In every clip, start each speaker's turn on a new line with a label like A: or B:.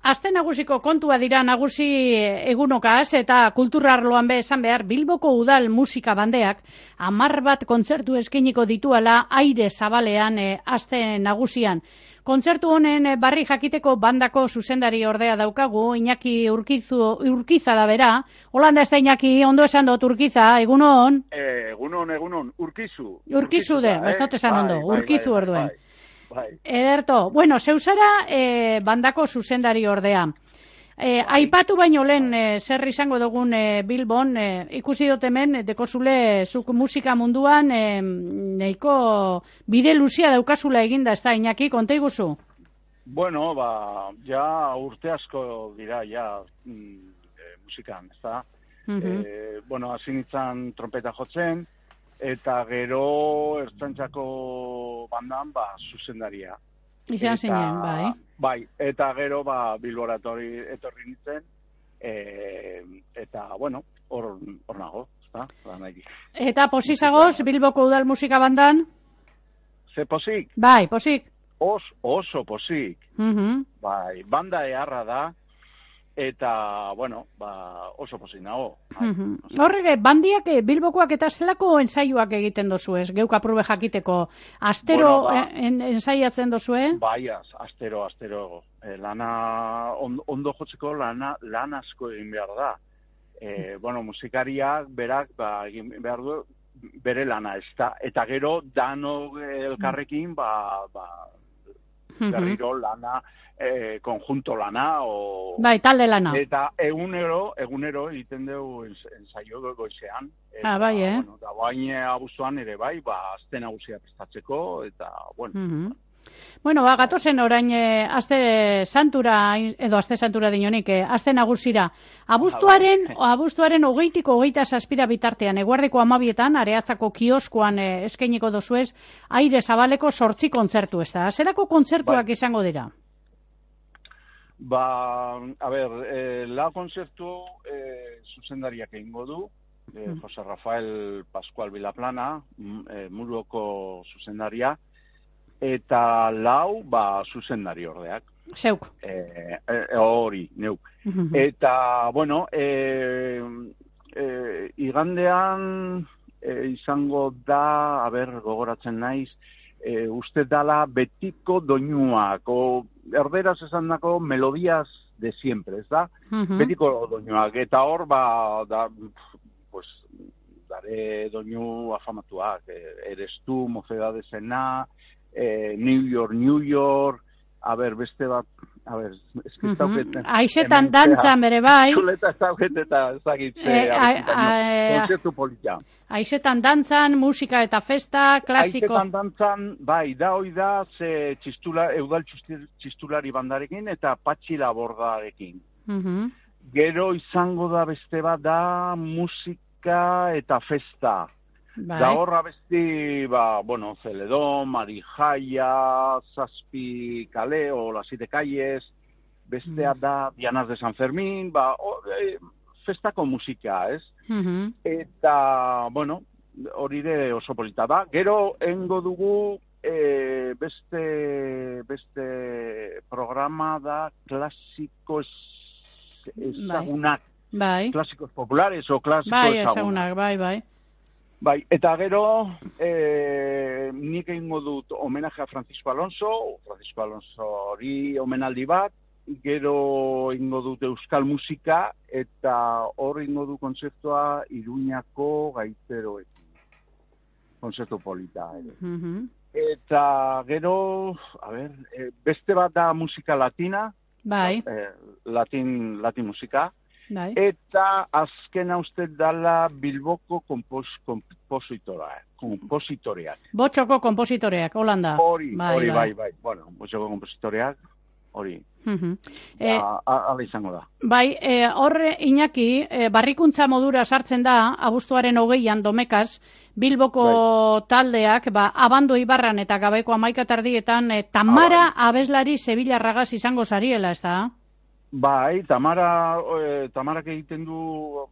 A: aste nagusiko kontua dira nagusi egunokaz eta kulturarloan be esan behar Bilboko udal musika bandeak 10 bat kontzertu eskainiko dituala aire zabalean aste nagusian. Kontzertu honen barri jakiteko bandako zuzendari ordea daukagu, Iñaki Urkiza da bera. Holanda ez da Iñaki, ondo esan dut Urkiza, egunon?
B: Egunon, Urkizu.
A: Urkizu de, ez dut esan ondo, Urkizu orduen.
B: Bai.
A: Ederto, bueno, zeuzara bandako zuzendari ordea. Aipatu baino lehen zer izango dugun Bilbon, ikusi dut hemen, dekozule zuk musika munduan nahiko bide luzia daukazula eginda, ez da, Iñaki, konta iguzu?
B: Bueno, ja urte asko dira, ja musikan, ez da? Bueno, hasi nintzen trompeta jotzen, eta gero ertzaintzako bandan, zuzendaria.
A: Izan zinen, bai.
B: Bai, eta gero Bilbora etorri nintzen, eta, bueno, hor nago, ezta?
A: Eta posizagoz, Bilboko udal musika bandan?
B: Ze posik?
A: Bai, posik.
B: Oso posik. Bai, banda eharra da, eta, bueno, oso posik nago.
A: Horrege, bandiak Bilbokoak eta zelako ensaioak egiten dozu ez? Geuk aprube jakiteko. Astero ensaiatzen dozu,
B: Bai, astero. Lana, ondo jotzeko lan asko egin behar da. Bueno, musikariak berak egin behar du bere lana, ez da. Eta gero, dano elkarrekin, berriro lana, konjunto lana,
A: bai, talde lana.
B: Eta egunero egiten dugu ensaio goizean.
A: Bai,
B: Bueno, da bain abuztuan ere bai, azte nagusia prestatzeko, eta, bueno.
A: Bueno, gatozen orain aste santura dinonik, aste nagusira. Abuztuaren 20tik 27 bitartean, eguerdiko 12etan, Areatzako kioskoan eskainiko dozuez, aire zabaleko 8 kontzertu, ez da? Zerako kontzertuak izango dira?
B: A ber, la kontzertu zuzendariak egingo du, Jose Rafael Pascual Vilaplana, Muruoko zuzendaria, eta lau, zuzendari ordeak.
A: Zeuk.
B: Hori, neuk. Eta, bueno, igandean izango da, gogoratzen naiz, uste dala betiko doinuak, erderaz esan dako melodias de siempre, ez da? Betiko doinuak, eta hor, dare doinu afamatuak, Eres tu, Mocedadesena, New York, beste bat, eskiztauketan.
A: Aixetan dantzan bere bai.
B: Txuleta eta ezagitze, kontzertu polita.
A: Aixetan dantzan, musika eta festa, klasiko.
B: Aixetan dantzan, bai, hoi da, ze eudal txistulari bandarekin eta Patxi Labordarekin. Gero izango da beste bat da musika eta festa. Da horra besti, bueno, Celedón, Marijaia, Zazpi Kale, o Las 7 Calles, bestea da Dianas de San Fermín, festako musika, ez? Eta, bueno, hori de oso polita da. Gero, engo dugu beste programa da klasiko ezagunak. Klasikos populares o klasiko ezagunak.
A: Bai.
B: Bai, eta gero, nik egingo dut homenaje a Francisco Alonso hori omenaldi bat, gero egingo dut euskal musika, eta hor egingo du kontzertua Iruñako gaiteroekin. Kontzertu polita. Eta gero, beste bat da musika latina, latin musika, eta azkena uste dala Bilboko kompositoreak.
A: Botxoko kompositoreak, Holanda.
B: Hori, bai. Bueno, botxoko kompositoreak, hori. Hala izango da.
A: Bai, horre Iñaki, barrikuntza modura sartzen da, abuztuaren 20an Domekaz, Bilboko taldeak, Abando Ibarran eta Gabeko 11 Tamara abeslari Sevillarragaz izango zariela, ez da?
B: Bai, Tamarak egiten du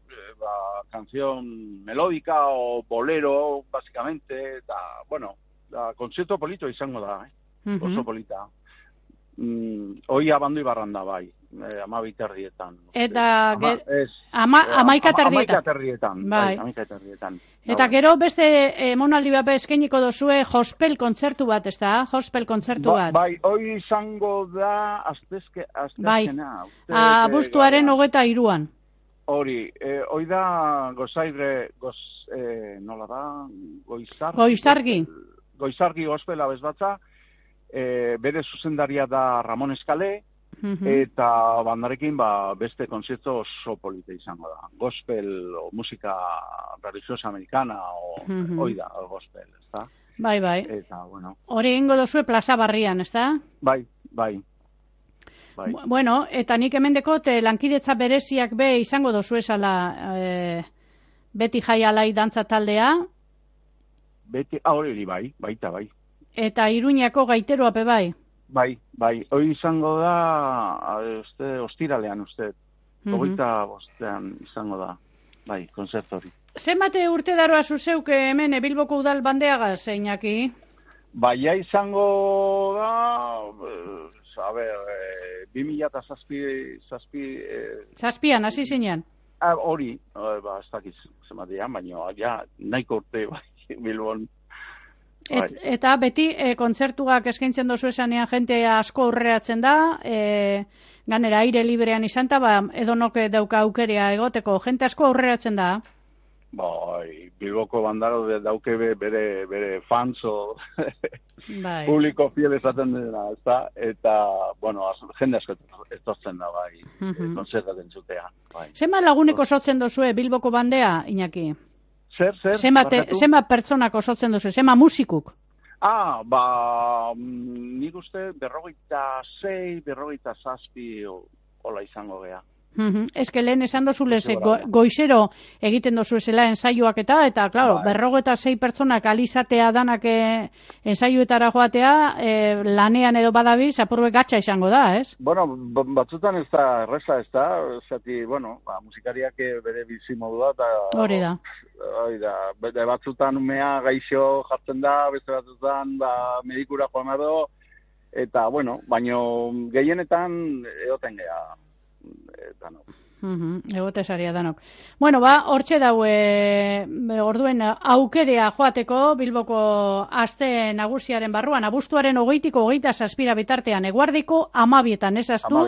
B: canción melódica o bolero, básicamente, eta, bueno, kontzertu polito izango da, oso polita. Hoi Abando Ibarran da, bai. 12:30.
A: Eta 11:30.
B: Bai, 11:30.
A: Eta gero beste emonaldi bat eskainiko dozue gospel kontzertu bat, ez da? Gospel kontzertu bat.
B: Bai, hoi izango da astezkena.
A: Abuztuaren 23an.
B: Hori, hoi da nola da? Goizargi gospela bezbatza. Bere zuzendaria da Ramon Eskale. Eta bandarekin beste konzertu oso polite izango da. Gospel o musika religiosa americana hoi da, gospel, ez da?
A: Bai.
B: Eta, bueno.
A: Hori egingo dozue Plaza Barrian, ez da?
B: Bai.
A: Bueno, eta nik hemendekot lankidetza bereziak be izango dozue esala Beti Jai Alai dantza taldea.
B: Hori baita.
A: Eta Iruñako gaiteroa pe bai.
B: Bai, hori izango da, ostiralean, 25ean izango da, bai, konzertu hori.
A: Zenbate urte daroa zuzeuk hemen Bilboko udal bandeagaz, Iñaki?
B: Baia izango da, 2007...
A: Zazpian, hasi zinean?
B: Hori, ez dakiz, zenbatean, baina nahiko urte, bai, Bilbon.
A: Eta beti kontzertuak eskaintzen dozu esanean jente asko aurreratzen da, ganera aire librean izan eta edonok dauka aukerea egoteko, jente asko aurreratzen da?
B: Bai, Bilboko bandaro dauke bere fans o publiko fiel esaten dena, ezta? Eta, bueno, jende asko etortzen da, bai, kontzertat entzutea.
A: Zenbat laguneko sotzen dozue Bilboko bandea, Iñaki?
B: Zer?
A: Zenbat pertsonak osotzen duzu, zenbat musikuk?
B: Nik uste 56, 57 hola izango gea.
A: Eske lehen esan dozulez, goizero egiten dozuezela ensaioak eta, klaro, 56 pertsonak alizatea danak ensaioetara joatea, lanean edo badabiz, apurbe gatsa izango da, ez?
B: Bueno, batzutan ez da erreza, ez da, zati, bueno, musikariak bere bizimodua, eta...
A: Hori da.
B: Batzutan umea gaixo jartzen da, beste batzutan medikura joan edo, eta, bueno, baino gehienetan egoten geha. Danok.
A: Egotesaria danok. Bueno, hortxe daue orduen aukerea joateko Bilboko aste nagusiaren barruan, abuztuaren 20-ko 27 bitartean, eguardiko 12etan, ez aztu?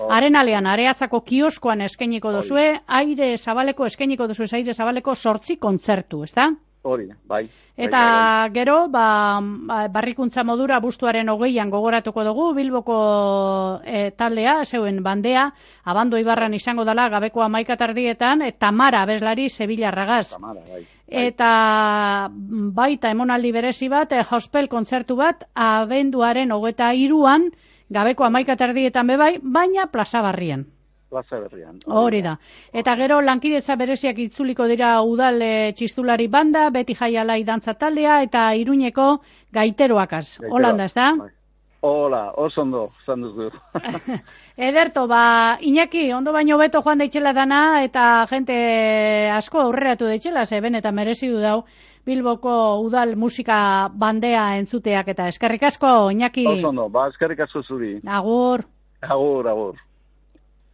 A: Arenalean, Areatzako kioskoan eskainiko duzue, aire zabaleko 8 kontzertu, ez da?
B: Hori, bai.
A: Eta gero, barrikuntza modura abuztuaren 20an gogoratuko dugu, Bilboko taldea, zeuen bandea, Abando Ibarran izango dela, gabeko 11:30, Tamara abeslari Sevillarragaz.
B: Tamara, bai.
A: Eta baita emonaldi berezi bat, gospel kontzertu bat, abenduaren 23an, gabeko 11:30 bebai, baina Plaza Barrian.
B: Plaza Berrian.
A: Hori da. Eta gero lankidetza bereziak itzuliko dira udal txistulari banda, Beti Jai Alai dantza taldea eta Iruñeko gaiteroakaz. Holanda, ez da?
B: Hola, oso ondo, zan duzu.
A: Ederto, Iñaki, ondo baino beto joan daitxela dana eta jente asko aurreratu daitxela, zeben eta merezi du dau Bilboko udal musika bandea entzuteak eta eskerrik asko, Iñaki.
B: Oso ondo, eskerrik asko zuri.
A: Agur.
B: Agur.